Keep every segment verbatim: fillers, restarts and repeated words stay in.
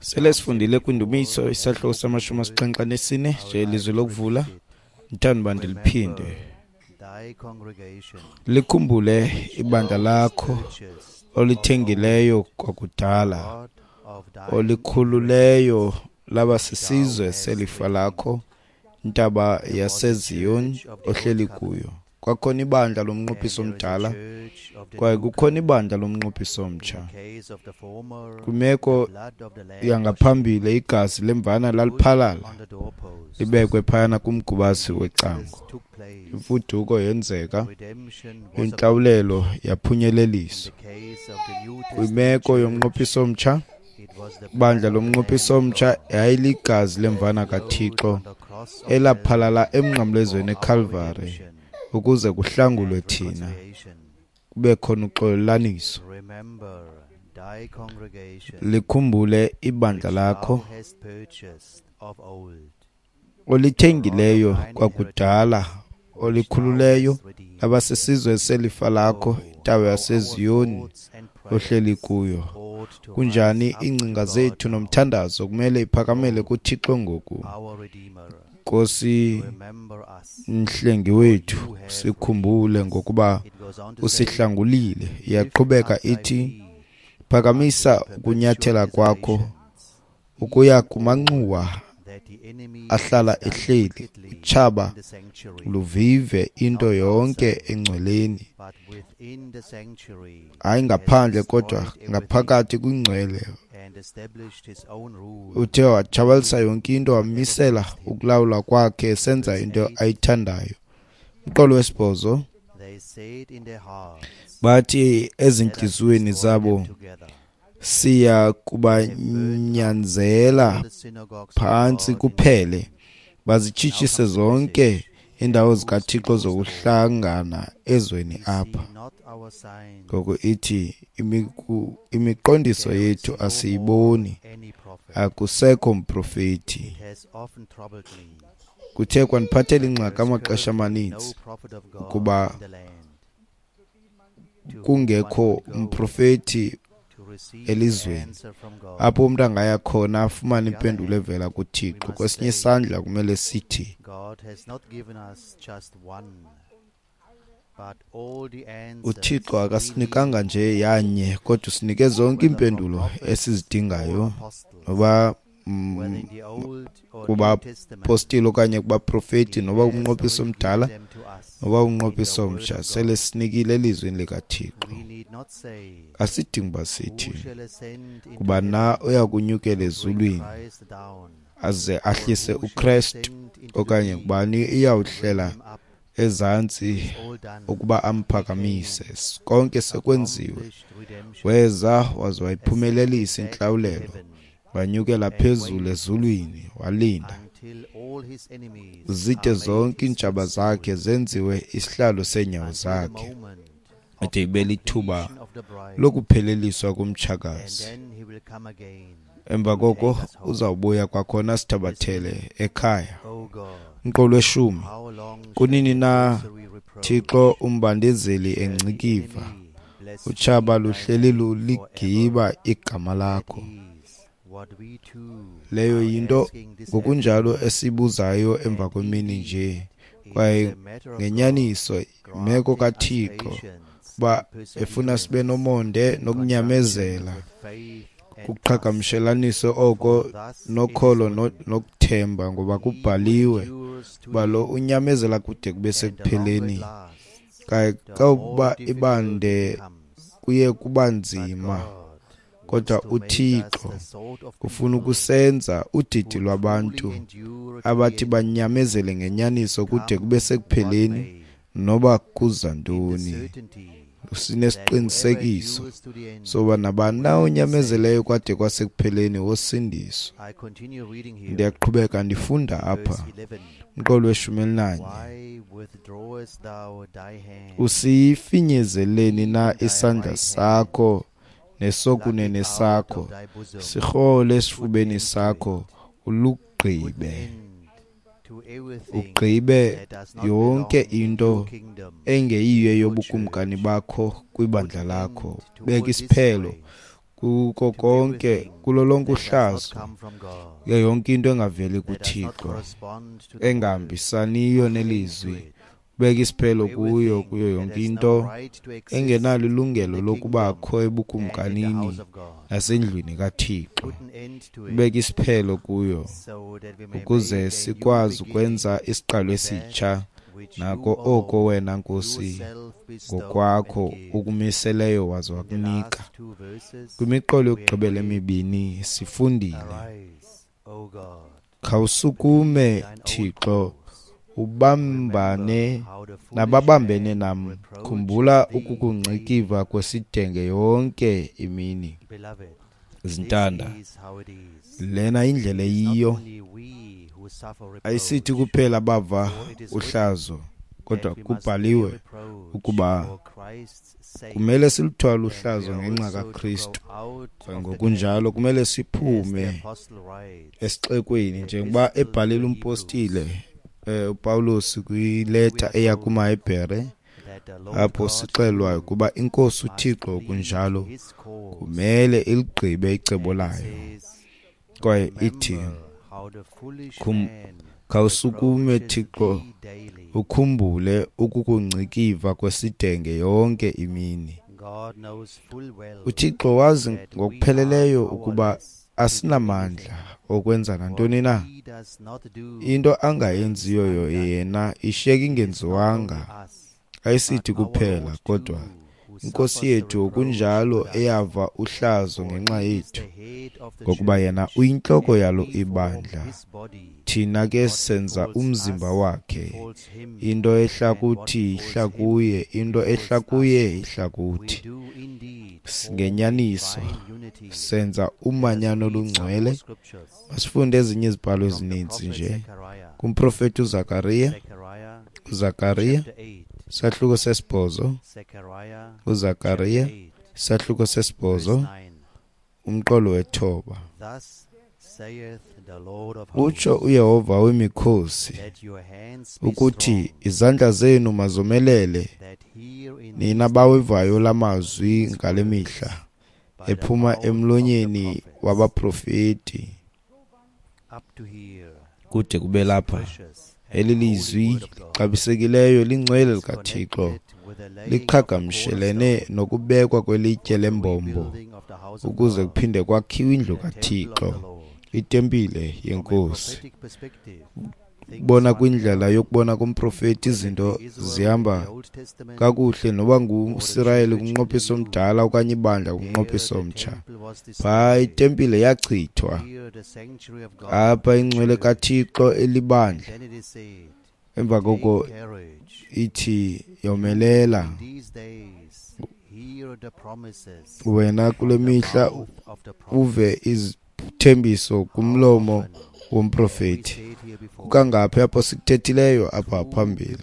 Sele sifundile kwiNdumiso isahluko samashumi asixhenxe anesine nje ilizwi lokuvula, ndithanda uba ndiliphinde. Likhumbule ibandla lakho olithengileyo kwakudala, olikhululeyo laba sisizwe selifa lakho, intaba yaseZiyon ohleli kuyo. Kwakhona ibandla lomnqophiso omdala, kwaye kukhona ibandla lomnqophiso omtsha. Kwimeko yangaphambili igazi lemvana laliphalala libekwe phayana kumgubasi wecango. Imfuduko yenzeka, intlawulelo yaphunyeleliswa. Kwimeko yomnqophiso omtsha, ibandla lomnqophiso omtsha yayiligazi lemvana kaThixo elaphalala emnqamlezweni eKalvari ukuze kuhlangulwe thina, kube khona uxolelaniso. Likhumbule ibandla lakho olithengileyo kwakudala, olikhululeyo labasisizwe selifa lakho, intaba yaseZiyoni ohleli kuyo. Kunjani iingcinga zethu nomthandazo kumele iphakamele kuThixo ngoku. Nkosi mhlengi wethu, sikhumbule ngokuba usihlangulile. Iyaqhubeka ithi, phakamisa ukunyathela kwakho ukuya kumanxuwa ahlala ehleli, utshaba luvive into yonke engcweleni, hayi ngaphandle kodwa ngaphakathi kwingcwele. Uthe watshabalalisa yonke into, wamisela ukulawula kwakhe esenza into ayithandayo. Umqolo wesibhozo, bathi ezintliziyweni zabo, siya kubanyanzela phantsi kuphele, bazitshitshise zonke iindawo zikaThixo zokuhlangana ezweni apha. Ngoku ithi imiqondiso yethu asiyiboni, akusekho mprofeti. Kuthe kwandiphathela ingxaki amaxesha amaninzi ukuba kungekho mprofeti elizweni apho umntu angaya khona afumane impendulo evela kuThixo. Kwesinye isandla kumele sithi uThixo akasinikanga nje yanye, kodwa usinike zonke iimpendulo esizidingayo, noba kubapostile okanye kubaprofeti, noba umnqophiso omdala noba umnqophiso omtsha, sele sinikile elizwini likaThixo. Asidingi uba sithi kuba na uya kunyukela ezulwini aze ahlise uKrestu, okanye kubani iyawuhlela ezantsi ukuba amphakamise. Konke sekwenziwe. Weza waze wayiphumelelisa intlawulelo, wanyukela phezulu ezulwini, walinda zide zonke iintshaba zakhe zenziwe isihlalo seenyawo zakhe, ade ibe lithuba lokupheleliswa komtshakazi. Emva koko uzawubuya kwakhona sithabathele ekhaya. Umqolo weshumi, kunini na Thixo umbandezeli engcikiva, utshaba luhleli luligiba igama lakho. Leyo yinto ngokunjalo esibuzayo emva kwemini nje, kwaye ngenyaniso imeko kaThixo uba efuna sibe nomonde nokunyamezela, kuqhagamshelaniso oko nokholo nokuthemba, ngoba kubhaliwe uba lo unyamezela kude kube sekupheleni. Kwaye xa uba ibande kuye kuba nzima, kodwa uThixo ufuna ukusenza udidi lwabantu abathi banyamezele ngenyaniso kude kube sekupheleni, noba kuza ntoni. Sinesiqinisekiso soba nabani na onyamezeleyo kwade kwasekupheleni wosindiswa. Ndiyaqhubeka ndifunda apha umqolo weshumi elinanye. Usifinyezeleni na isandla sakho nesokunene sakho, sirhole esifubeni sakho, ulugqibe ugqibe yonke into engeyiyo yobukumkani bakho kwibandla lakho. Beka isiphelo Kuko konke, kulo lonke uhlazo, kuyo yonke into engaveli kuThixo, engahambisaniyo nelizwi, ubeka isiphelo kuyo, kuyo yonke into engenalo ilungelo lokubakho ebukumkanini nasendlwini kaThixo, ubeka isiphelo kuyo ukuze sikwazi ukwenza isiqalo esitsha nako oko wena Nkosi ngokwakho ukumiseleyo waze wakunika. Kwimiqolo yokugqibela emibini sifundile, khawusukume Thixo, ubambane nababambene nam, khumbula ukukungcikiva kwesidenge yonke imini. Zintanda, lena indlela eyiyo. Ayisithi kuphela bava uhlazo, kodwa kubhaliwe ukuba kumele siluthwale uhlazo ngenxa kaKristu. Ngokunjalo kumele siphume esixekweni, njengoba ebhalile umpostile eh, uPawulos kwileta eya kumaHebhere, apho sixelwayo ukuba iNkosi uThixo kunjalo kumele iligqibe icebo layo. Kwaye ithi, khawusukume Thixo, ukhumbule ukukungcikiva kwesidenge yonke imini. UThixo wazi ngokupheleleyo ukuba asinamandla okwenza nantoni na. Into angayenziyo yena ishiyeka ingenziwanga. Ayisithi kuphela, kodwa iNkosi yethu kunjalo eyava uhlazo ngenxa yethu, ngokuba yena uyintloko yalo ibandla, thina ke senza umzimba wakhe. Into ehla kuthi ihla kuye, into ehla kuye ihla kuthi. Ngenyaniso senza umanyano olungcwele. Masifunde ezinye izibhalo ezininzi nje kumprofeti uZakariya, uZakariya isahluko sesibhozo, uZakariya isahluko sesibhozo, umqolo wethoba. Utsho uYehova wemikhosi ukuthi izandla zenu mazomelele, nina bawevayo lamazwi ngale mihla ephuma emlonyeni wabaprofeti. Kude kube lapha, eli lizwi lixabisekileyo lingcwele likaThixo liqhagamshelene nokubekwa kwelitye lembombo ukuze kuphinde kwakhiwe indlu kaThixo, itempile yeNkosi. Bona kwindlela yokubona komprofeti izinto zihamba kakuhle noba nguSirayeli kumnqophiso omdala okanye ibandla kumnqophiso omtsha. Phaa itempile yachithwa, apha ingcwele kaThixo elibandla. Emva koko ithi yomelela wena kule mihla, uve izithembiso kumlomo womprofeti. Kukangaphi apho sikuthethileyo apha phambili?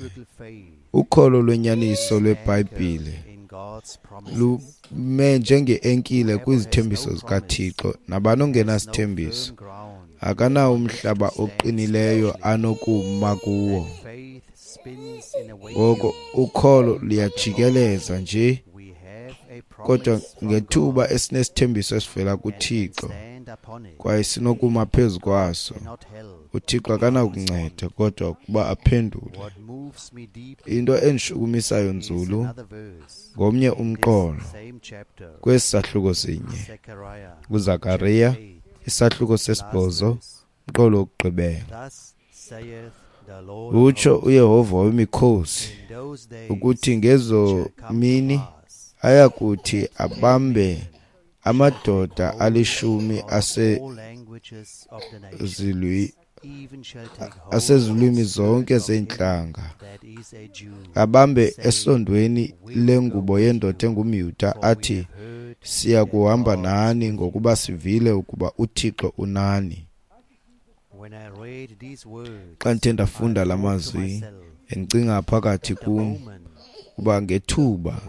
Ukholo lwenyaniso lweBhayibhile lume njenge-enkile kwizithembiso zikaThixo. Nabani ongenasithembiso akanawo umhlaba oqinileyo anokuma kuwo. Ngoko ukholo luyajikeleza nje, kodwa ngethuba esinesithembiso esivela kuThixo kwaye sinokuma phezu kwaso, uThixo akanakunceda kodwa ukuba aphendule. Into endishukumisayo nzulu ngomnye umqolo kwesi sahluko sinye, kuZakariya isahluko sesibhozo, umqolo wokugqibela. Utsho uYehova wemikhosi ukuthi ngezo mini ayakuthi abambe amadoda alishumi asezilwi asezilwimi zonke zeentlanga, abambe esondweni lengubo yendoda engumYuda, athi, siya kuhamba nani ngokuba sivile ukuba uThixo unani. Xa ndithe ndafunda la mazwi, endicinga phakathi kum kuba ngethuba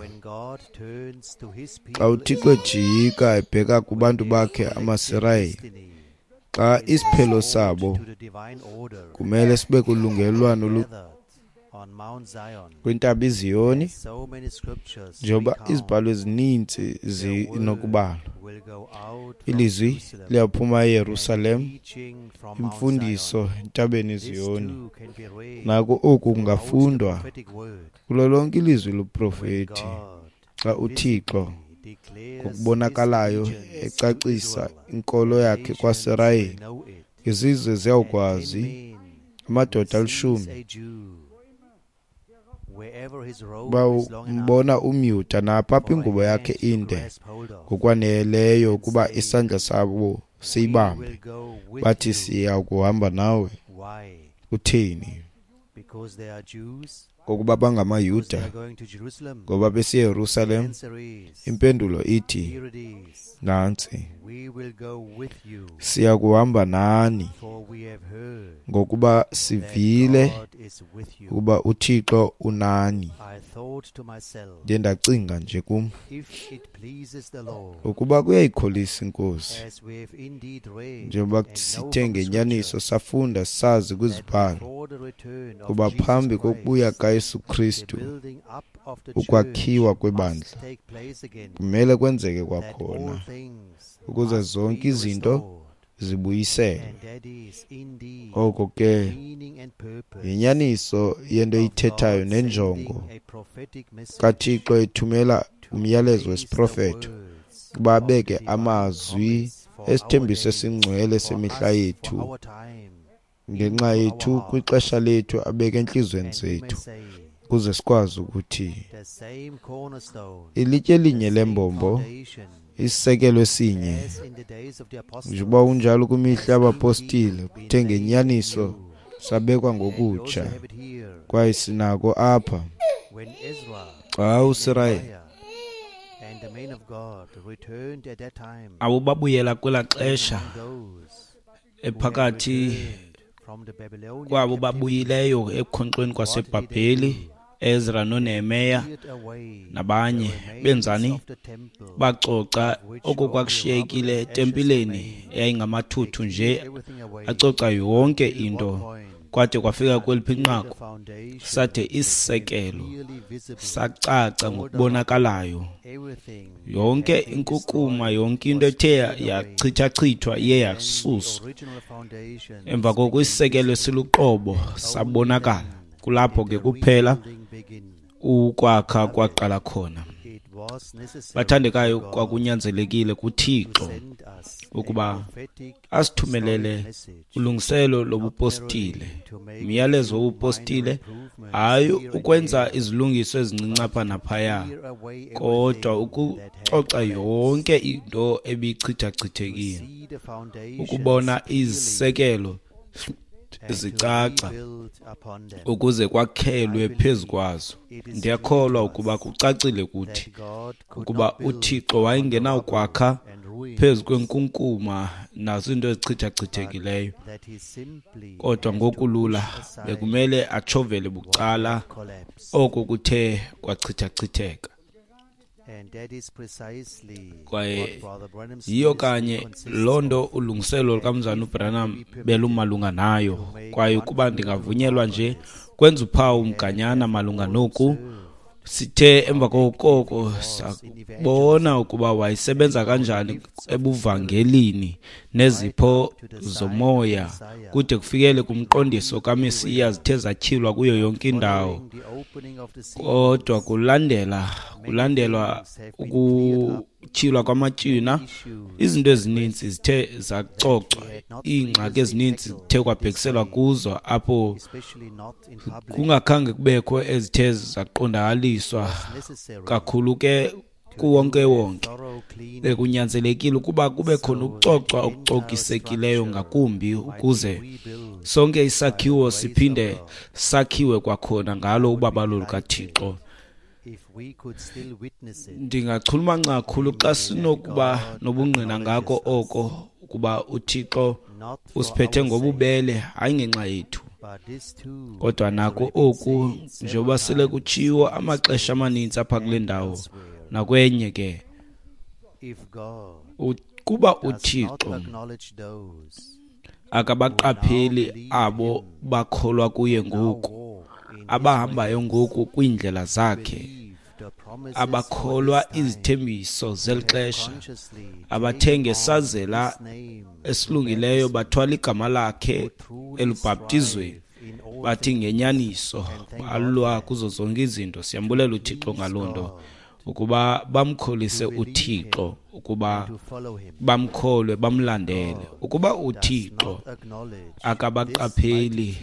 xa uThixo ejika ebheka kubantu bakhe amaSirayeli, xa isiphelo sabo kumele sibe kulungelelwano Kwintaba iZiyoni, njengoba izibhalo ezininzi zinokubalwa, ilizwi liyaphuma eYerusalem, imfundiso entabeni iZiyoni. Nako oku kungafundwa kulo lonke ilizwi loprofeti xa uThixo ngokubonakalayo ecacisa inkolo yakhe kwaSirayeli. Izizwe ziyawukwazi, amadoda alishumi bawumbona umYuda napha apho ingubo yakhe inde ngokwaneleyo ukuba isandla sabo siyibambe, bathi siya kuhamba nawe. Kutheni? Ngokuba bangamaYuda, ngoba besiyeRusalem. Impendulo ithi nantsi: siya kuhamba nani, ngokuba sivile ukuba uThixo unani. Ndiye ndacinga nje kum, ukuba kuyayikholisa iNkosi, njengoba sithe ngenyaniso safunda sazi kwizibhalo kuba phambi kokubuya kaYesu Kristu ukwakhiwa kwebandla kumele kwenzeke kwakhona, ukuze zonke izinto zibuyiselwe. Oko ke yinyaniso yento eyithethayo nenjongo kaThixo ethumela umyalezo wesiprofeto ukuba abeke amazwi esithembiso esingcwele semihla yethu ngenxa yethu kwixesha lethu, abeke entliziyweni zethu, ukuze sikwazi ukuthi ilitye elinye lembombo, isisekelo esinye, njengoba unjalo kwimihla yabapostile, kuthe ngenyaniso sabekwa ngokutsha, kwaye sinako apha. Xa uSirayeli abo babuyela kwelaa xesha ephakathi kwabo babuyileyo ekukhonkxweni kwaseBhabheli, Ezra noNehemiya nabanye, benzani? Bacoca oko kwakushiyekile etempileni eyayingamathuthu nje, acoca yonke into kwade kwafika kweliphi inqaku, sade isisekelo sacaca ngokubonakalayo. Yonke inkukuma, yonke into ethe yachithachithwa iye yasuswa. Emva koko isisekelo esiluqobo sabonakala. Kulapho ke kuphela ukwakha kwaqala khona. Bathandekayo, kwakunyanzelekile kuThixo ukuba asithumelele ulungiselo lobupostile, umyalezo wobupostile, hayi ukwenza izilungiso ezincinci apha naphaya, kodwa ukucoca yonke into ebichithachithekile, ukubona izisekelo zicaca ukuze kwakhelwe phezu kwazo. Ndiyakholwa ukuba kucacile kuthi ukuba uThixo wayengenawukwakha phezu kwenkunkuma nazo iinto ezichithachithekileyo, kodwa ngokulula bekumele atshovele bucala oko kuthe kwachithachitheka. Kwaye yiyo kanye loo nto ulungiselo lukaMzana uBranham belumalunga nayo. Kwaye ukuba ndingavunyelwa nje kwenza uphawu mganyana malunga noku, sithe emva koko sabona ukuba wayesebenza kanjani ebuvangelini nezipho zomoya kude kufikele kumqondiso kaMesiya zithe zatyhilwa kuyo yonke indawo. Kodwa kulandela kulandelwa ukutyhilwa kwamatywina, izinto ezininzi zithe zacocwa, iingxaki ezininzi zithe kwabhekiselwa kuzo apho kungakhange kubekho ezithe zaqondakaliswa kakhulu ke kuwonke wonke. Bekunyanzelekile ukuba kube khona ukucocwa okucokisekileyo ngakumbi ukuze sonke isakhiwo siphinde sakhiwe kwakhona ngalo ubabalo lukaThixo. Ndingachulumanca kakhulu xa sinokuba nobungqina ngako oko ukuba uThixo usiphethe ngobubele, hayi ngenxa yethu, kodwa nako oku njengoba sele kutshiwo amaxesha amaninzi apha kule ndawo nakwenye ke, kuba uThixo akabaqapheli abo bakholwa kuye ngoku abahambayo ngoku kwiindlela zakhe, abakholwa izithembiso zeli xesha, abathe ngesazela esilungileyo bathwala igama lakhe elubhaptizweni, bathi ngenyaniso balwa kuzo zonke izinto. Siyambulela uThixo ngaloo nto, ukuba bamkholise uThixo, ukuba bamkholwe, bamlandele. Ukuba uThixo akabaqapheli,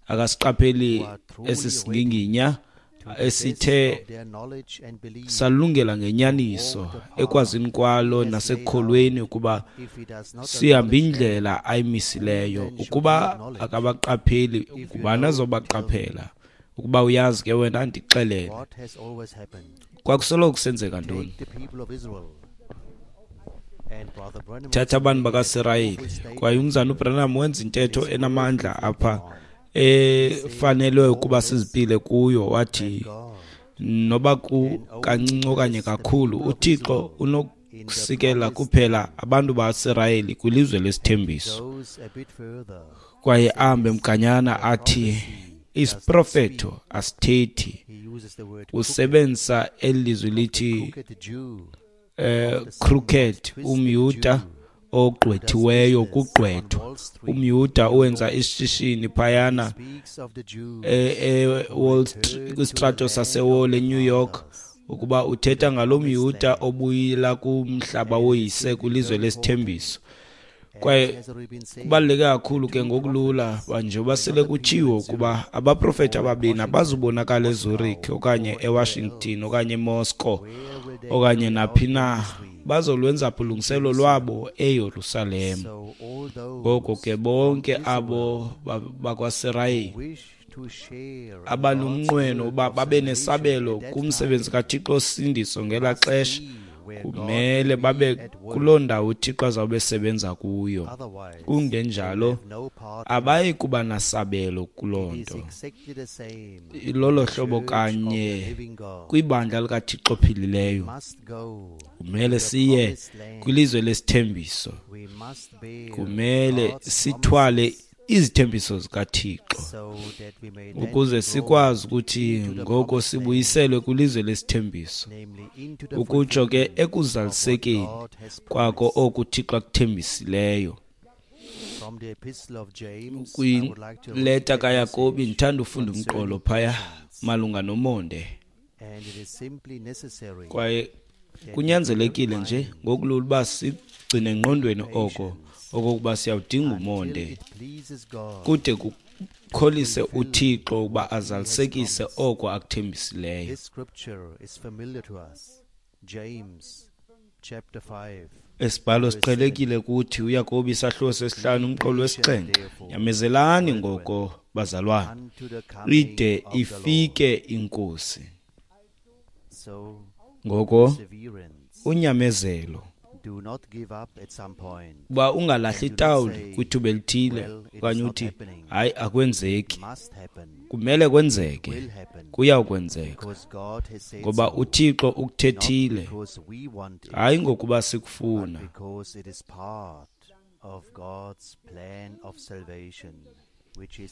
akasiqapheli esi singinginya esithe salungela ngenyaniso ekwazini kwalo nasekukholweni ukuba sihambe indlela ayimisileyo, ukuba akabaqapheli, ngubani azobaqaphela? Ukuba uyazi ke wena, ndixelele. Kwakusoloko kusenzeka ntoni? Thatha abantu bakaSirayeli. Kwaye umzana uBranham wenza intetho enamandla apha efanelwe ukuba sizipile kuyo. Wathi noba kancinci okanye kakhulu, uThixo unokusikela kuphela abantu baSirayeli kwilizwe lesithembiso. Kwaye ahambe mganyana athi isiprofeto asithethi. Usebenzisa eli lizwi lithi eh crooked, umYuda ogqwethiweyo, kugqwethwa, umYuda owenza ishishini phayana e-Wall Street, kwistrato saseWall eNew York, ukuba uthetha ngalo mYuda obuyela kumhlaba woyise kwilizwe lesithembiso. Kwaye kubaluleke kakhulu ke ngokulula njengoba sele kutshiwo ukuba abaprofeti ababini abazubonakala eZurich okanye eWashington okanye eMoscow okanye naphi na, bazolwenza ulungiselelo lwabo eYerusalem. Ngoko ke bonke abo bakwaSirayeli abanomnqweno uba babe nesabelo kumsebenzi kaThixo osindiso ngelaa xesha, kumele babe kuloo ndawo uThixo azawube esebenza kuyo. Kungenjalo abayi kuba nasabelo kuloo nto. Lolo hlobo kanye kwibandla likaThixo ophilileyo. Kumele siye kwilizwe lesithembiso. Kumele sithwale izithembiso zikaThixo ukuze sikwazi ukuthi ngoko sibuyiselwe kwilizwe lesithembiso, ukutsho ke ekuzalisekeni kwako oku uThixo akuthembisileyo. Kwileta kaYakobi ndithanda ufunda umqolo phaya malunga nomonde. Kwaye kunyanzelekile nje ngokulula uba sigcine engqondweni oko okokuba siyawudinga umonde kude kukholise uThixo ukuba azalisekise oko akuthembisileyo. Esibhalo siqhelekile kuthi uYakobi isahluko sesihlanu umqolo wesixhenxe. Nyamezelani ngoko bazalwane, ide ifike iNkosi. Ngoko unyamezelo, uba ungalahli itawuli kwithuba elithile okanye uthi hayi akwenzeki, kumele kwenzeke, kuyawukwenzeka ngoba uThixo ukuthethile, hayi ngokuba sikufuna,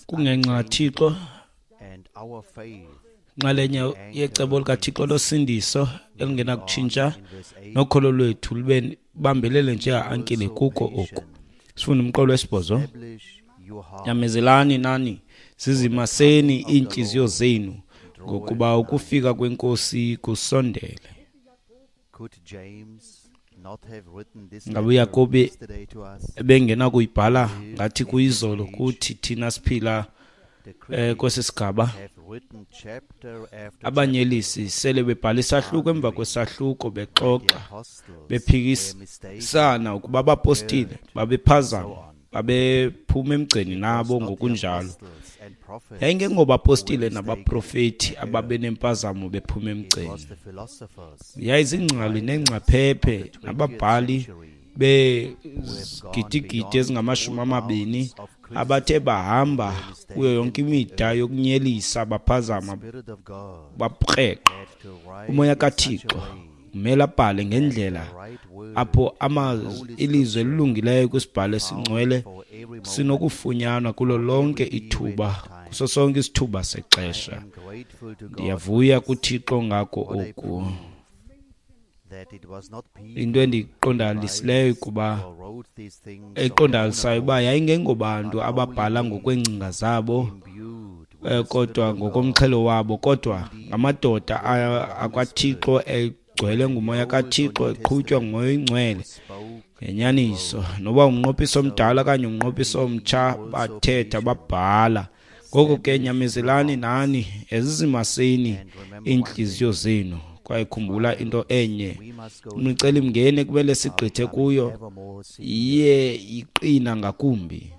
kungenxa kaThixo, nxalenye yecebo likaThixo losindiso elingenakutshintsha, nokholo lwethu lube bambelele njenga-ankile kuko oku. Sifunda umqolo wesibhozo. Nyamezelani nani, zizimaseni iintliziyo zenu, ngokuba ukufika kweNkosi kusondele. Ngabe uYakobi ebengenakuyibhala ngathi kuyizolo kuthi thina siphila eh kwesi sigaba? Abanyelisi sele bebhala isahluko emva kwesahluko bexoxa bephikisana ukuba abapostile babephazama, babephuma emgceni nabo ngokunjalo. Yayingengobapostile nabaprofeti ababenempazamo bephuma emgceni, yayizingcali neengcaphephe nababhali begidigidi ezingamashumi amabini abathe bahamba kuyo yonke imida yokunyelisa, baphazama, baprekqa. Umoya kaThixo kumele abhale ngendlela apho amazwi ilizwi elilungileyo kwisibhalo esingcwele sinokufunyanwa kulo lonke ithuba, Kuso sonke isithuba sexesha. Ndiyavuya kuThixo ngako oku. Into endiyiqondalisileyo kuba eqondalisayo uba yayingengobantu ababhala ngokwengcinga zabo, kodwa ngokomxhelo wabo, kodwa ngamadoda akwaThixo egcwele ngumoya kaThixo, eqhutywa ngumoya oyingcwele ngenyaniso. Noba umnqophiso omdala okanye umnqophiso omtsha, bathetha babhala. Ngoko ke nyamezelani nani ezizimaseni iintliziyo zenu. Kwaye khumbula into enye, imicelimngeni ekumele sigqithe kuyo iye iqina ngakumbi.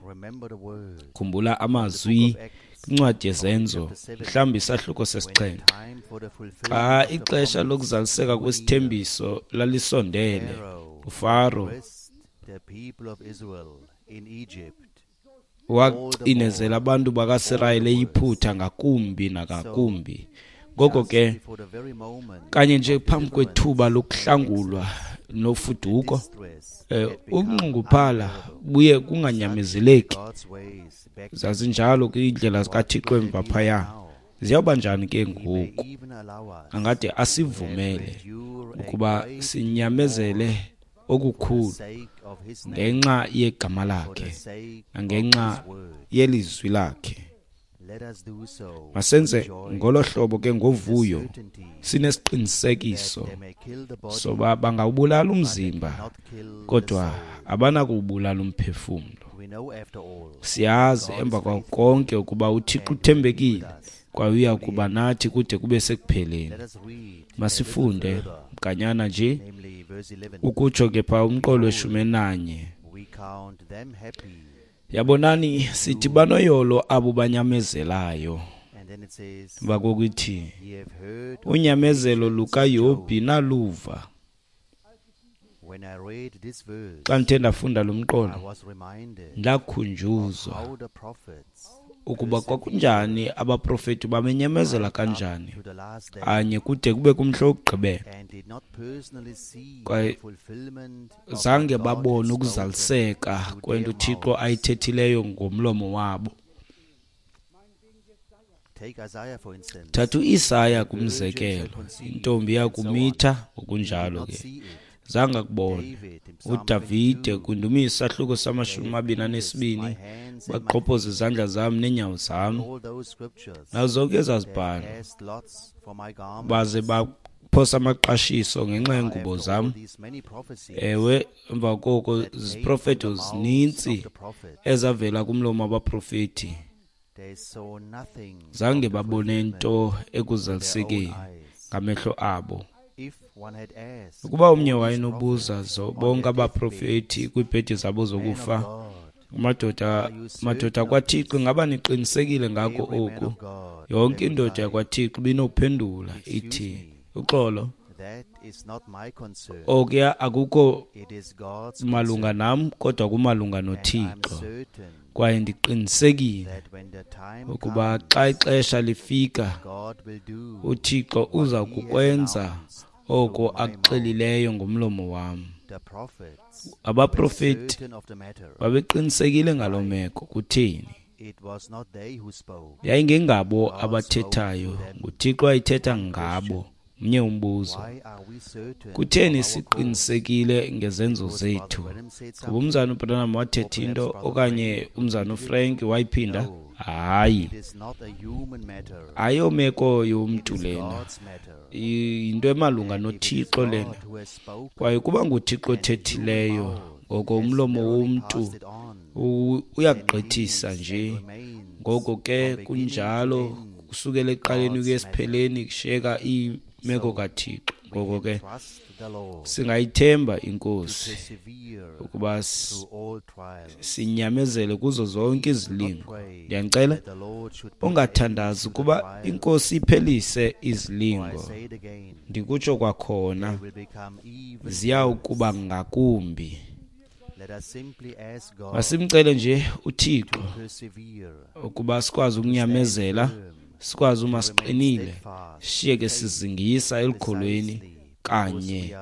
Khumbula amazwi kwincwadi yeZenzo, mhlawumbi isahluko sesixhenxe. Xa ixesha lokuzaliseka kwesithembiso lalisondele, uFaro wacinezela abantu bakaSirayeli eYiphutha ngakumbi nangakumbi. Ngoko ke kanye nje phambi kwethuba lokuhlangulwa nofuduko, ukunxunguphala buye kunganyamezeleki. Zazinjalo kwiindlela zikaThixo emva phaya. Ziyawuba njani ke ngoku? Angade asivumele ukuba sinyamezele okukhulu ngenxa yegama lakhe nangenxa yelizwi lakhe. Masenze ngolo hlobo ke ngovuyo, sinesiqinisekiso soba bangawubulala umzimba, kodwa abanakuwubulala umphefumlo. Siyazi emva kwako konke ukuba uThixo uthembekile kwaye uya kuba nathi kude kube sekupheleni. Masifunde mganyana nje ukutsho ke pha umqolo weshumi nanye. Yabonani sithi banoyolo abo banyamezelayo. Bakokuthi unyamezelo lukaYobhi naluva. Xa ndithe ndafunda lo mqolo, ndakhunjuzwa ukuba kwakunjani abaprofeti bamenyamezela kanjani anye kude kube kumhla wokugqibela, kwaye zange babone ukuzaliseka kwento uThixo ayithethileyo ngomlomo wabo. Thatha uIsaya kumzekelo, intombi yakumitha ngokunjalo ke zange akubone. uDavide kwindumiso isahluko samashumi amabini anesibini, baqhophoza izandla zam neenyawo zam, nazo zonke ezazibhalo, baze baphosa amaqashiso ngenxa yeengubo zam. Ewe, emva koko ziprofeto zininzi ezavela kumlomo wabaprofeti, zange babone nto ekuzalisekeni ngamehlo abo. Ukuba omnye wayenobuza bonke abaprofeti kwiibhedi zabo zokufa, madoda madoda kwaThixo, ngaba niqinisekile ngako oku? Yonke indoda yakwaThixo ibinophendula ithi, uxolo, okuya akukho malunga nam, kodwa kumalunga noThixo. Kwaye ndiqinisekile ukuba xa ixesha lifika, uThixo uza kukwenza oko akuxelileyo ngomlomo wam. Abaprofeti babeqinisekile ngaloo meko. Kutheni? Yayingengabo abathethayo, nguThixo ayithetha ngabo. Mnye umbuzo, kutheni siqinisekile ngezenzo zethu? Kuba umzana uBranham wathetha into okanye umzana uFrank wayiphinda? Hayi, ayomeko yomntu lena, yinto emalunga noThixo lena. Kwaye kuba nguThixo othethileyo, ngoko umlomo womntu uyagqithisa nje. Ngoko ke kunjalo kusukela ekuqaleni kuye esipheleni, kushiyeka imeko kaThixo. Ngoko ke singayithemba iNkosi ukuba sinyamezele kuzo zonke izilingo. Ndiyanicela ungathandazi ukuba iNkosi iphelise izilingo. Ndikutsho kwakhona, ziyawukuba ngakumbi. Masimcele nje uThixo ukuba sikwazi ukunyamezela, sikwazi uma siqinile, sishiyeke sizingisa elukholweni kanye,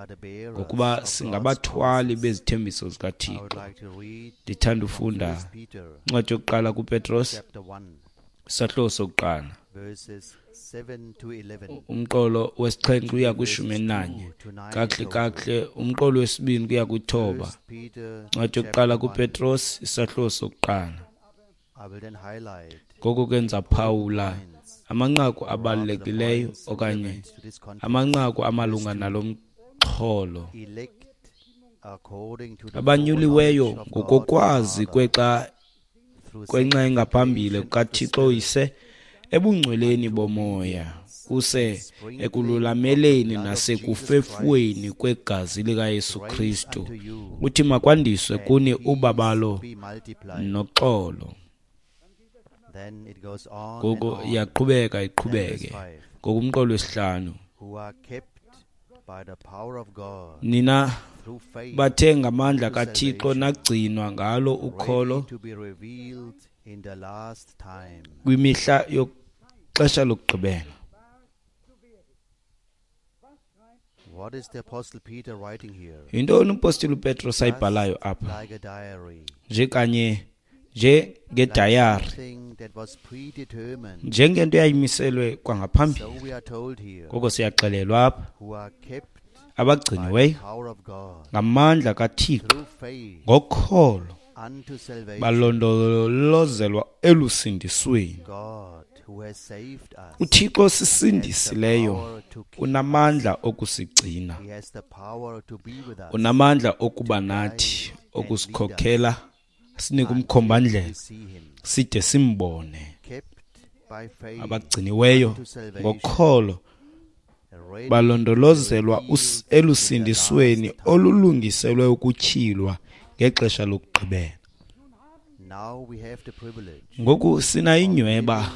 ngokuba singabathwali bezithembiso zikaThixo. Ndithanda ufunda incwadi yokuqala kuPetros Isahluko sokuqala, umqolo wesixhenxe uya kwishumi elinanye, kakuhle kakuhle umqolo wesibini kuya kwithoba. Incwadi yokuqala kuPetros, isahluko sokuqala. Ngoko ke ndizaphawula amanqaku abalulekileyo okanye amanqaku amalunga nalo mxholo. Abanyuliweyo ngokokwazi kwexa kwenxa engaphambili kukaThixo Uyise ebungcweleni bomoya, kuse ekululameleni nasekufefweni kwegazi likaYesu Kristu, uthi makwandiswe kuni ubabalo noxolo. Ngoko iyaqhubeka iqhubeke. Ngokumqolo wesihlanu, nina bathe ngamandla kaThixo nagcinwa ngalo ukholo kwimihla yoxesha lokugqibela. Yintoni umpostile uPetros ayibhalayo apha? Nje kanye njengedayari, njengento eyayimiselwe kwangaphambili. Ngoko siyaxelelwa apha, abagciniweyo ngamandla kaThixo ngokholo balondolozelwa elusindisweni. UThixo osisindisileyo unamandla okusigcina, unamandla okuba nathi, okusikhokhela, sinike umkhombandlela side simbone. Abagciniweyo ngokholo balondolozelwa elusindisweni olulungiselwe ukutyhilwa ngexesha lokugqibela. Ngoku sinayinyhweba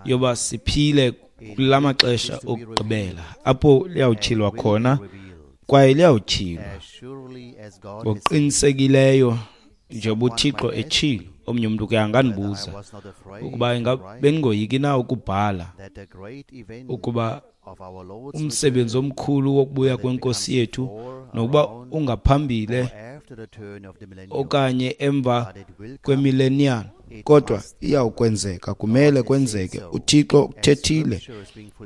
yoba siphile kula maxesha okugqibela apho liyawutyhilwa khona, kwaye liyawutyhilwa ngokuqinisekileyo njengoba uThixo etshilo. Omnye umntu ke angandibuza ukuba bendingoyiki na ukubhala ukuba umsebenzi omkhulu wokubuya kwenkosi yethu, nokuba ungaphambile okanye emva kwemillennium, kodwa iyawukwenzeka, kumele kwenzeke. UThixo uthethile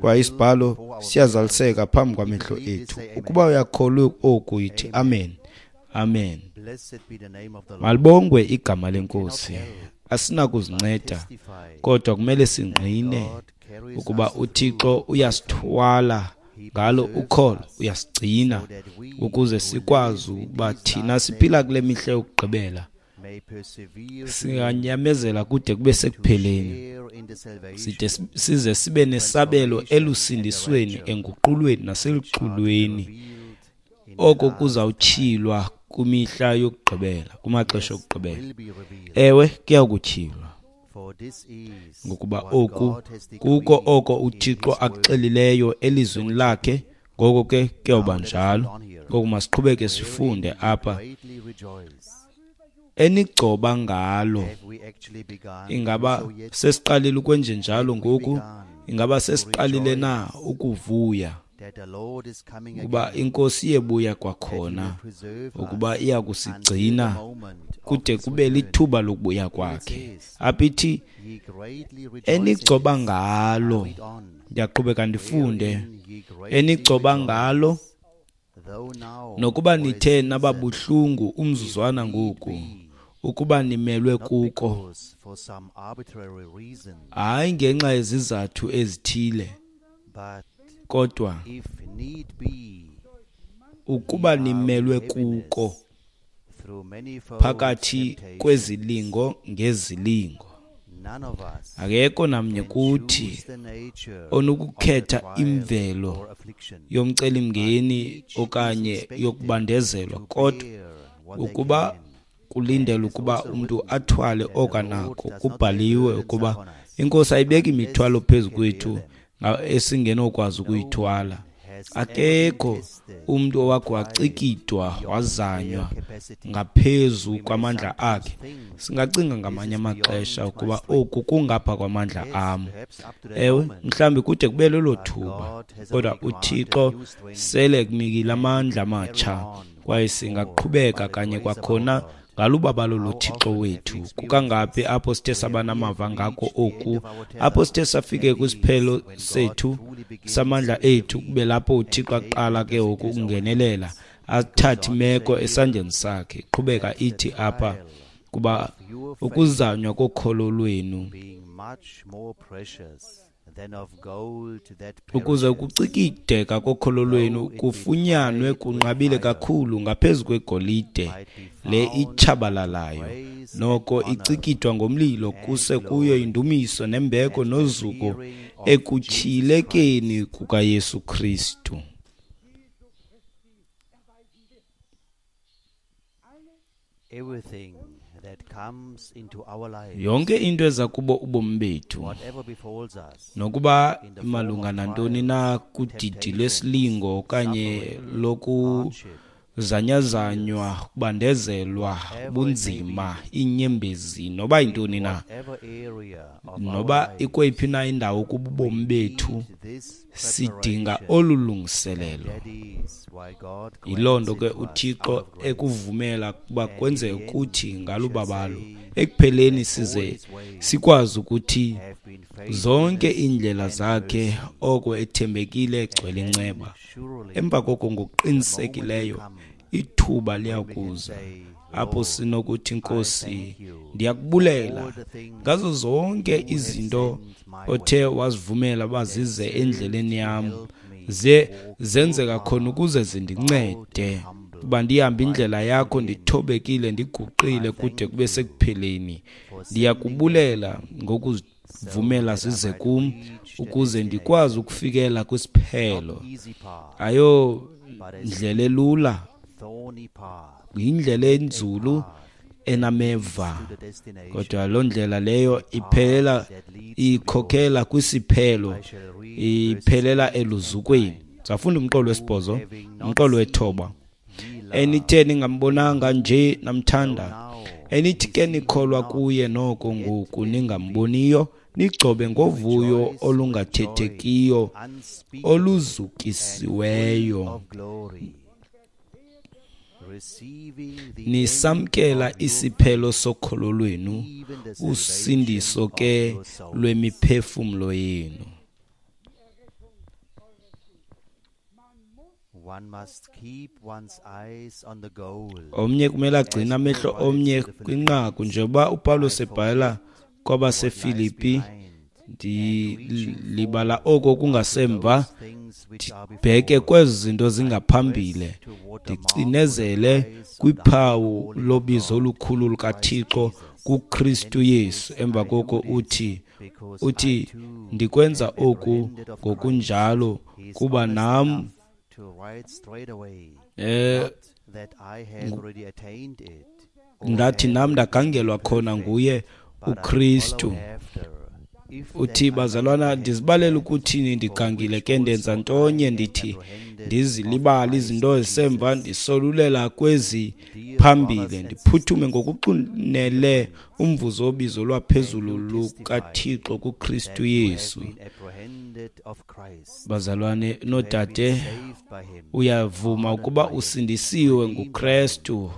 kwaye isibhalo siyazaliseka phambi kwamehlo ethu. Ukuba uyakholwa oku, yithi amen. Amen. Malibongwe igama lenkosi. Asinakuzinceda, kodwa kumele singqine ukuba uThixo uyasithwala ngalo ukholo, uyasigcina ukuze sikwazi ukuba thina siphila kule mihla yokugqibela singanyamezela kude kube sekupheleni, side size sibe nesabelo elusindisweni, enguqulweni naseluxulweni, oko kuzawutyhilwa kwimihla yokugqibela, kumaxesha okugqibela. Ewe, kuyakutyhilwa, ngokuba oku kuko oko uThixo akuxelileyo elizwini lakhe. Ngoko ke kuyawuba njalo. Ngoku masiqhubeke sifunde apha. Enigcoba ngalo, ingaba sesiqalile ukwenjenjalo ngoku? Ingaba sesiqalile na ukuvuya ukuba inkosi iyebuya kwakhona, ukuba iya kusigcina kude kube lithuba lokubuya kwakhe? Apha ithi enigcoba ngalo, ndiyaqhubeka ndifunde, enigcoba ngalo nokuba nithe nababuhlungu umzuzwana ngoku, ukuba nimelwe kuko, hayi ngenxa yezizathu ezithile, kodwa ukuba nimelwe kuko phakathi kwezilingo ngezilingo. Akekho namnye kuthi onokukhetha imvelo yomcelimngeni okanye yokubandezelwa, kodwa ukuba kulindela ukuba umntu athwale okanako, kubhaliwe ukuba inkosi ayibeki imithwalo phezu kwethu esingenokwazi ukuyithwala. Akekho umntu owakhe wacikidwa wazanywa ngaphezu kwamandla akhe. Singacinga ngamanye amaxesha ukuba oku kungapha kwamandla am. Ewe, mhlawumbi kude kube lelo thuba, kodwa uThixo sele kunikile amandla amatsha, kwaye singaqhubeka kanye kwakhona Ngalubabalo loThixo wethu. Kukangaphi apho sithe saba namava ngako oku, apho sithe safike kwisiphelo sethu samandla ethu, kube lapho uThixo aqala ke ngoku ukungenelela, athathe imeko esandleni sakhe. Iqhubeka ithi apha, kuba ukuzanywa kokholo lwenu ukuze ukucikideka kokholo lwenu kufunyanwe kunqabile kakhulu ngaphezu kwegolide le itshabalalayo, noko icikidwa ngomlilo, kuse kuyo indumiso nembeko nozuko ekutyhilekeni kukaYesu Kristu. Yonke into eza kubo ubomi bethu, nokuba malunga nantoni na kudidi lwesilingo okanye lokuzanyazanywa, kubandezelwa, bunzima, iinyembezi, noba yintoni na, noba ikweyiphi na indawo kububomi bethu, sidinga olu lungiselelo. Yiloo nto ke uThixo ekuvumela ukuba kwenzeke kuthi ngalubabalo. Ekupheleni size sikwazi ukuthi zonke iindlela zakhe oko ethembekile egcwele inceba. Emva koko ngokuqinisekileyo ithuba liyakuza apho sinokuthi, Nkosi, ndiyakubulela ngazo zonke izinto othe wazivumela bazize endleleni yam, ze zenzeka khona ukuze zindincede uba ndihambe indlela yakho ndithobekile, ndiguqile kude kube sekupheleni. Ndiyakubulela ngokuzivumela zize kum ukuze ndikwazi ukufikela kwisiphelo. Ayo ndlela elula, yindlela enzulu enameva, kodwa loo ndlela leyo iphelela ikhokhela kwisiphelo, iphelela eluzukweni. Safunda umqolo wesibhozo, umqolo wethoba. Enithe ningambonanga nje namthanda, enithi ke nikholwa kuye noko ngoku ningamboniyo, nigcobe ngovuyo olungathethekiyo oluzukisiweyo, nisamkela isiphelo sokholo lwenu, usindiso ke lwemiphefumlo yenu. Omnye kumele agcine amehlo omnye kwinqaku, njengoba uPawulos ebhala kwabaseFilipi, ndilibala oko kungasemva, ndibheke kwezi zinto zingaphambili, ndicinezele kwiphawu lobizo olukhulu lukaThixo kuKristu Yesu. Emva koko uthi uthi ndikwenza oku ngokunjalo kuba nam eh ndathi nam ndagangelwa khona nguye uKristu. Uthi, bazalwana, ndizibalela ukuthini ndigangile ke ndenza ntonye, ndithi ndizilibala izinto ezisemva, ndisolulela kwezi phambili, ndiphuthume ngokuxunele umvuzo wobizo lwaphezulu lukaThixo kuKristu Yesu. Bazalwane noodade, uyavuma ukuba usindisiwe nguKristu,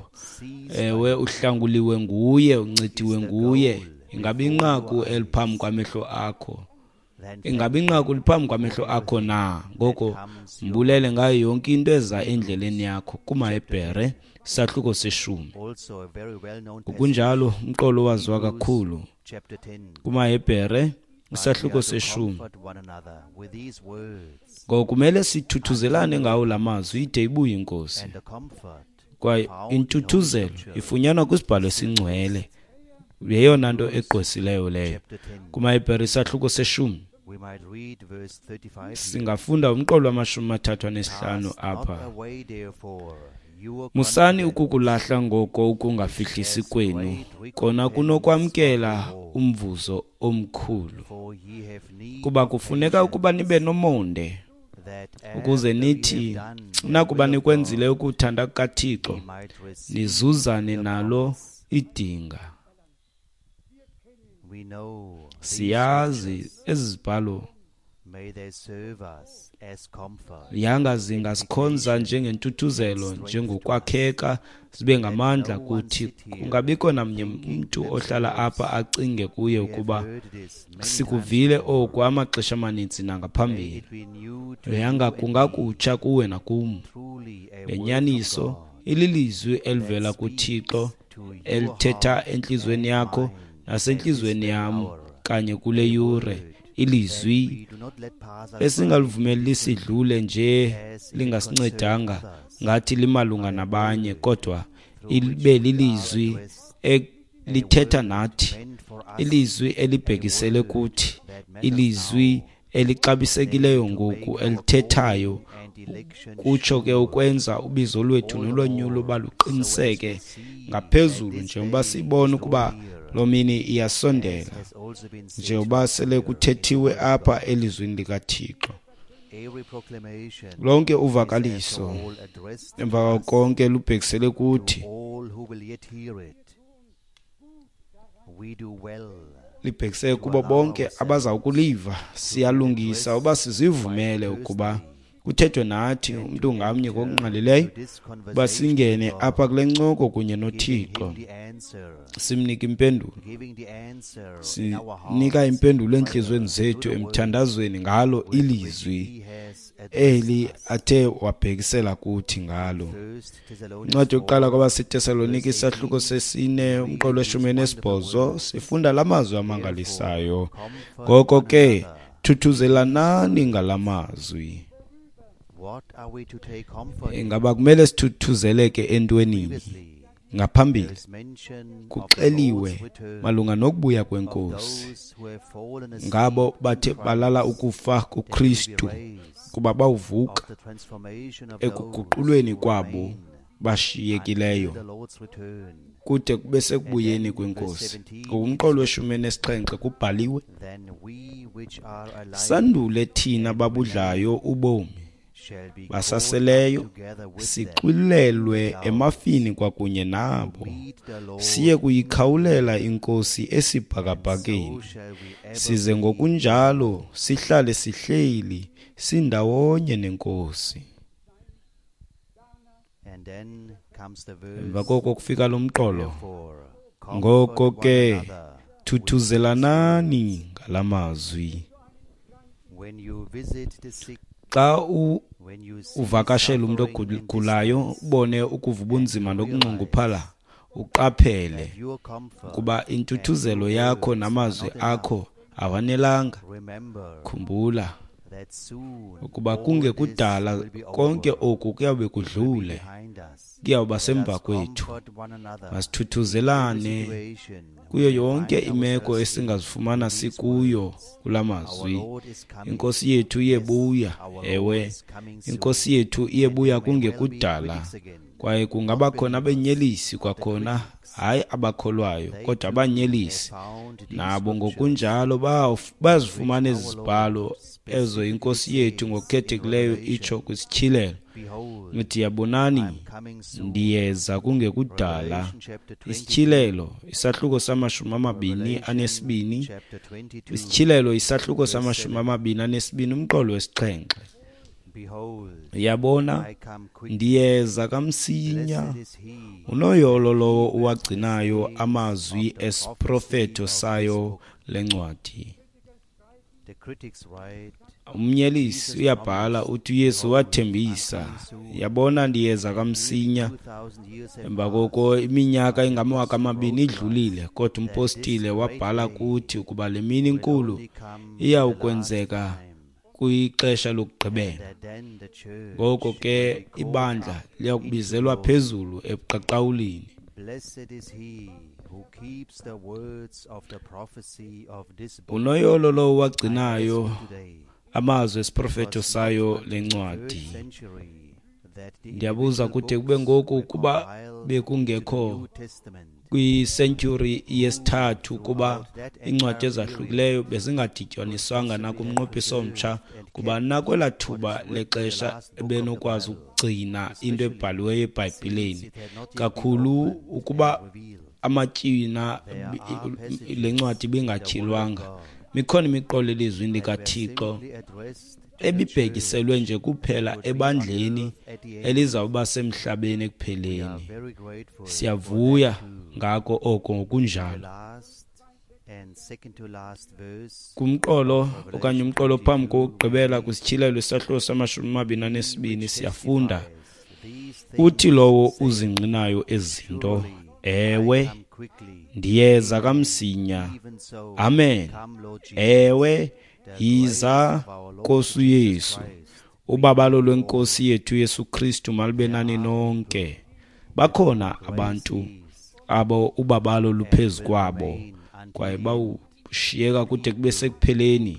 ewe, uhlanguliwe nguye, uncediwe nguye. Ingabe inqaku eliphambi kwamehlo akho, ingabe inqaku liphambi kwamehlo akho na? Ngoko mbulele ngayo yonke into eza endleleni yakho. KumaHebhere isahluko seshumi. Ngokunjalo umqolo waziwa kakhulu. KumaHebhere isahluko seshumi. Ngoko kumele sithuthuzelane ngawo la mazwi ide ibuye iNkosi. Kwaye intuthuzelo ifunyanwa kwisibhalo esingcwele. Yeyona nto egqwesileyo leyo. KumaHebhere isahluko seshumi singafunda umqolo wamashumi amathathu anesihlanu apha. Musani ukukulahla ngoko ukungafihlisi kwenu, kona kunokwamkela umvuzo omkhulu. Kuba kufuneka ukuba nibe nomonde, ukuze nithi nakuba nikwenzile ukuthanda kukaThixo, nizuzane nalo idinga. Siyazi ezi zibhalo. Yanga zingasikhonza njengentuthuzelo, njengokwakheka, zibe ngamandla kuthi. Kungabikho namnye umntu ohlala apha acinge kuye ukuba sikuvile oku amaxesha amaninzi nangaphambili. Yanga kungakutsha kuwe nakum. Le nyaniso ililizwi elivela kuThixo elithetha entliziyweni yakho nasentliziyweni yam kanye kule yure. Ilizwi esingalivumeli lisidlule nje lingasincedanga ngathi limalunga nabanye, kodwa ibe lilizwi elithetha nathi, ilizwi elibhekisele kuthi, ilizwi elixabisekileyo ngoku elithethayo, kutsho ke ukwenza ubizo lwethu nolonyulo baluqiniseke ngaphezulu, njengoba sibona ukuba loo mini iyasondela, njengoba sele kuthethiwe apha elizwini likaThixo. Lonke uvakaliso emva konke lubhekisele kuthi, libhekisele kubo bonke abaza kuliva. Siyalungisa uba sizivumele ukuba kuthethwe nathi umntu ngamnye ngokungqalileyo, uba singene apha kule ncoko kunye noThixo, simnike impendulo. Sinika impendulo entliziyweni zethu emthandazweni ngalo ilizwi eli athe wabhekisela kuthi ngalo. Incwadi yokuqala kwabaseTesalonike isahluko sesine umqolo weshumi nesibhozo sifunda la mazwi amangalisayo. Ngoko ke thuthuzelanani ngala mazwi. Ingaba kumele sithuthuzeleke entwenini? Ngaphambili kuxeliwe malunga nokubuya kwenkosi ngabo bathe balala ukufa kuKristu, kuba bawuvuka ekuguqulweni kwabo bashiyekileyo kude kube sekubuyeni kwenkosi. Ngokumqolo weshumi nesixhenxe kubhaliwe, sandule thina babudlayo ubomi basaseleyo sixwilelwe emafini kwakunye nabo, siye kuyikhawulela inkosi esibhakabhakeni, size ngokunjalo sihlale sihleli sindawonye nenkosi. Emva koko kufika lo mqolo. Ngoko ke thuthuzelanani ngala mazwi. Xa uvakashela umuntu ogulayo, ubone ukuva ubunzima nokunxunguphala, uqaphele ukuba intuthuzelo yakho namazwi akho awanelanga. Khumbula ukuba kungekudala konke oku kuyawube kudlule, kuyawuba semva kwethu. Masithuthuzelane kuyo yonke imeko esingazifumana sikuyo kula mazwi. Inkosi yethu iyebuya, ewe, inkosi yethu iyebuya kungekudala, kwaye kungaba khona abenyelisi kwakhona, hayi abakholwayo, kodwa abanyelisi nabo ngokunjalo bazifumana ezi zibhalo ezo inkosi yethu ngokukhethekileyo itsho kwisityhilelo. Ithi, yabonani, ndiyeza kungekudala. Isityhilelo isahluko samashumi amabini anesibini, isityhilelo isahluko samashumi amabini anesibini umqolo wesixhenxe. Yabona, ndiyeza kamsinya. Unoyolo lowo uwagcinayo amazwi esiprofeto sayo lencwadi. Umnyelisi uyabhala uthi uYesu wathembisa, yabona ndiyeza kamsinya. Emva koko iminyaka engamawaka amabini idlulile, kodwa umpostile wabhala kuthi ukuba le mini inkulu iyawukwenzeka kwixesha lokugqibela. Ngoko ke ibandla liyakubizelwa phezulu ebuqaqawulini. Unoyolo lowo wagcinayo amazwi esiprofeto sayo lencwadi. Ndiyabuza kude kube ngoku kuba bekungekho kwisentyhuri yesithathu, kuba iincwadi ezahlukileyo bezingadityaniswanga nakumnqophiso omtsha, kuba nakwelaa thuba lexesha ebenokwazi ukugcina into ebhaliweyo eBhayibhileni kakhulu ukuba amatywina le ncwadi ibingatyhilwanga. Mikhona imiqolo elizwini likaThixo ebibhekiselwe nje kuphela ebandleni elizawuba semhlabeni ekupheleni. Siyavuya ngako oko ngokunjalo. Kumqolo okanye umqolo phambi kokugqibela kwisityhilelo isahluko samashumi amabini anesibini siyafunda, uthi lowo uzingqinayo ezinto, ewe, ndiyeza kamsinya. Amen. Ewe, yiza Nkosi uYesu. Ubabalo lwenkosi yethu Yesu Kristu malube nani nonke. Bakhona abantu abo ubabalo luphezu kwabo kwaye bawushiyeka kude kube sekupheleni,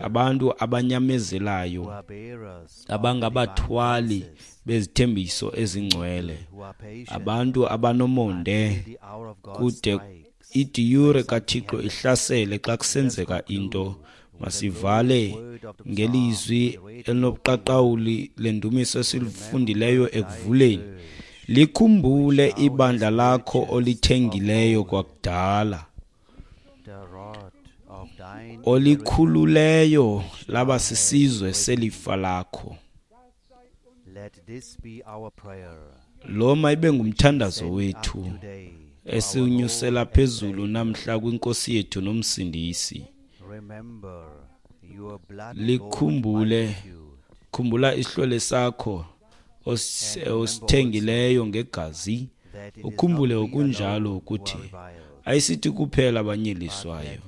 abantu abanyamezelayo, abangabathwali bezithembiso ezingcwele, abantu abanomonde kude idiyure kaThixo ihlasele xa kusenzeka into. Masivale ngelizwi elinobuqaqawuli lendumiso esilifundileyo ekuvuleni. Likhumbule ibandla lakho olithengileyo kwakudala, olikhululeyo laba sisizwe selifa lakho. Lo mayibe ngumthandazo wethu esiwunyusela phezulu namhla kwinkosi yethu nomsindisi. Likhumbule, khumbula isihlwele sakho osithengileyo ngegazi. Ukhumbule okunjalo ukuthi ayisithi kuphela abanyeliswayo,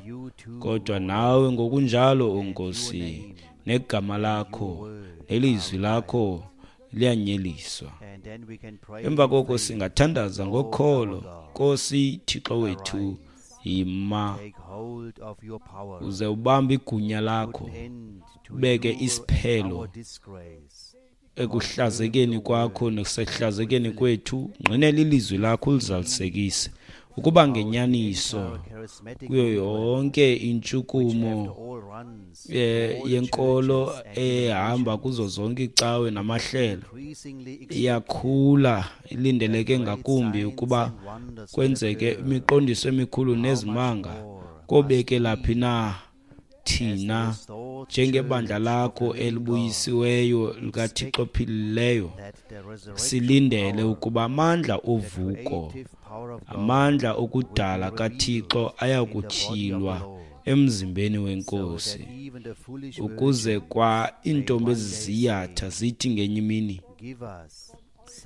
kodwa nawe ngokunjalo, o Nkosi, negama lakho nelizwi lakho liyanyeliswa. Emva koko singathandaza ngokholo. Nkosi Thixo wethu, yima uze ubambe igunya lakho, ubeke isiphelo ekuhlazekeni kwakho nasehlazekeni kwethu. Ngqinela ilizwi lakho ulizalisekise ukuba ngenyaniso kuyo yonke intshukumo yenkolo ehamba kuzo zonke icawe namahlelo. Iyakhula, ilindeleke ngakumbi ukuba kwenzeke imiqondiso emikhulu nezimanga. Kobeke laphi na thina njengebandla lakho elibuyisiweyo likaThixo ophilileyo, silindele ukuba amandla ovuko, amandla okudala kaThixo ayakutyhilwa emzimbeni wenkosi, ukuze kwa iintombi eziziyatha zithi ngenye imini,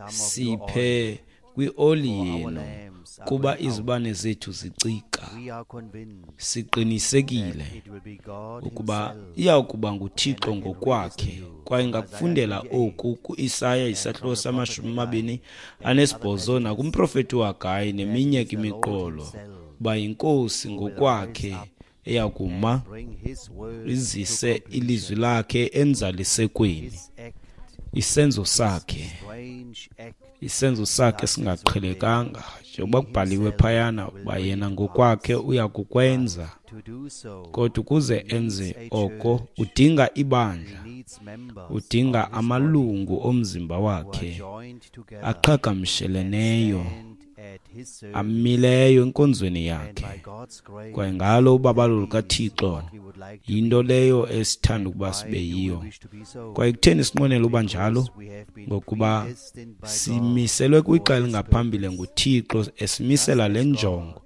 siphe kwioli yenu, kuba izibane zethu zicika. Siqinisekile ukuba iyakuba nguThixo ngokwakhe. Kwaye ngakufundela oku kuIsaya isahluko samashumi amabini anesibhozo nakumprofeti uHagayi neminye imiqolo, uba yinkosi ngokwakhe eyakuma izise ilizwi lakhe enzalisekweni. Isenzo sakhe, isenzo sakhe singaqhelekanga, njengoba kubhaliwe phayana uba yena ngokwakhe uyakukwenza. Kodwa ukuze enze oko udinga ibandla, udinga amalungu omzimba wakhe aqhagamsheleneyo, amileyo enkonzweni yakhe. Kwaye ngalo ubabalo lukaThixo yinto leyo esithanda ukuba sibe yiyo. Kwaye kutheni sinqwenela uba njalo? Ngokuba simiselwe kwixa elingaphambili nguThixo, esimisela le njongo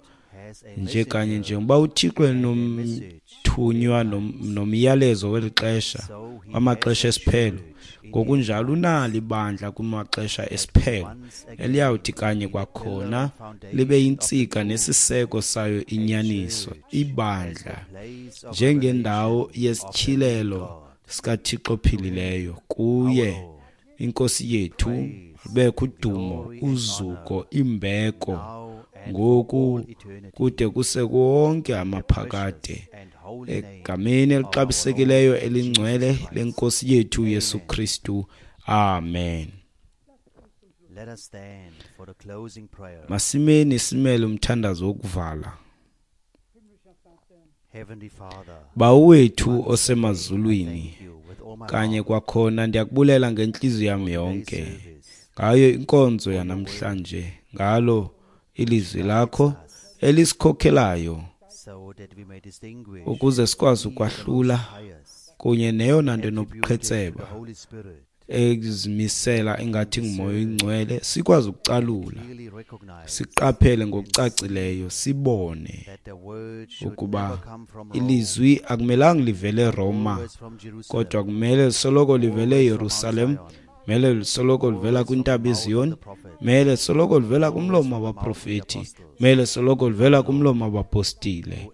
nje kanye njengoba uThixo enomthunywa nomyalezo weli xesha, wamaxesha esiphelo, ngokunjalo unalo ibandla kumaxesha esiphelo eliyawuthi kanye kwakhona libe yintsika nesiseko sayo inyaniso, ibandla njengendawo yesityhilelo sikaThixo ophilileyo. Kuye inkosi yethu lubekho udumo, uzuko, imbeko, ngoku kude kuse wonke amaphakade, egameni elixabisekileyo elingcwele lenkosi yethu Yesu Kristu. Amen. Masimeni simele umthandazo wokuvala. Bawo wethu osemazulwini, kanye kwakhona ndiyakubulela ngentliziyo yam yonke ngayo inkonzo yanamhlanje, ngalo ilizwi lakho elisikhokhelayo ukuze sikwazi ukwahlula kunye neyona nto enobuqhetseba ezimisela ingathi ngumoya oyingcwele, sikwazi ukucalula, siqaphele ngokucacileyo, sibone ukuba ilizwi akumelanga livele eRoma, kodwa kumele lisoloko livele eYerusalem, mele lisoloko livela kwintaba iZiyoni, mele lisoloko livela kumlomo wabaprofeti, mele lisoloko livela kumlomo wabapostile.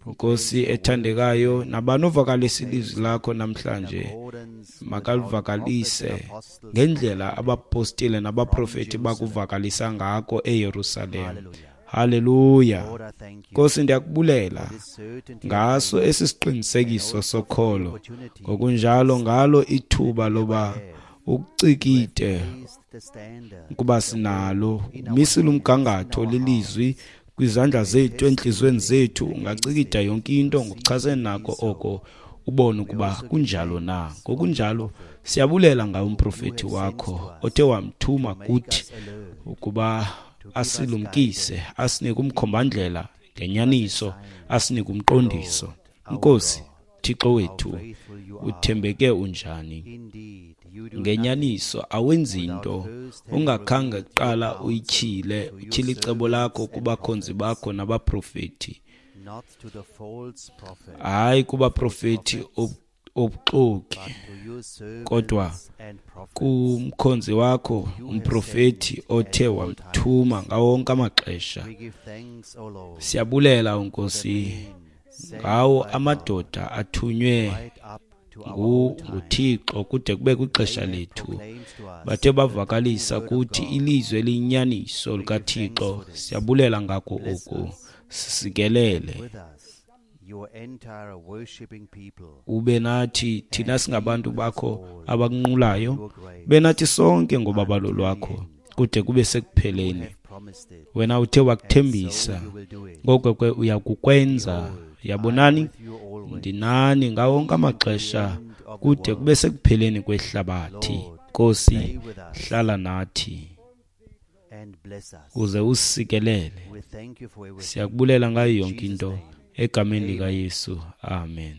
Nkosi ethandekayo, nabani ovakalisa ilizwi lakho namhlanje makalivakalise ngendlela abapostile nabaprofeti bakuvakalisa ngako eYerusalem. Haleluya. Nkosi, ndiyakubulela ngaso esi siqinisekiso sokholo, ngokunjalo ngalo ithuba loba ukucikide ukuba sinalo umisile umgangatho lilizwi kwizandla zethu, entliziyweni zethu. Ungacikida yonke into ngokuchasene nako oko, ubone ukuba kunjalo na. Ngokunjalo siyabulela ngawo umprofeti wakho othe wamthuma kuthi ukuba asilumkise, asinike umkhombandlela ngenyaniso, asinike umqondiso. Nkosi Thixo wethu, uthembeke unjani? Ngenyaniso awenzi into ungakhange kuqala uyityhile, utyhile icebo lakho kubakhonzi bakho nabaprofeti, hayi kubaprofeti obuxoki, kodwa kumkhonzi wakho umprofeti othe wamthuma ngawo wonke amaxesha. Siyabulela Nkosi ngawo amadoda athunywe nguThixo kude kube kwixesha lethu, bathe bavakalisa kuthi ilizwi eliyinyaniso likaThixo. Siyabulela ngako oku, sisikelele, ube nathi thina singabantu bakho abakunqulayo, ube nathi sonke ngobabalo lwakho kude kube sekupheleni. Wena uthe wakuthembisa, ngoko ke uyakukwenza. Yabonani, ndinani ngawo wonke amaxesha kude kube sekupheleni kwehlabathi. Nkosi, hlala nathi uze usikelele. Siyakubulela ngayo yonke into egameni likaYesu. Amen.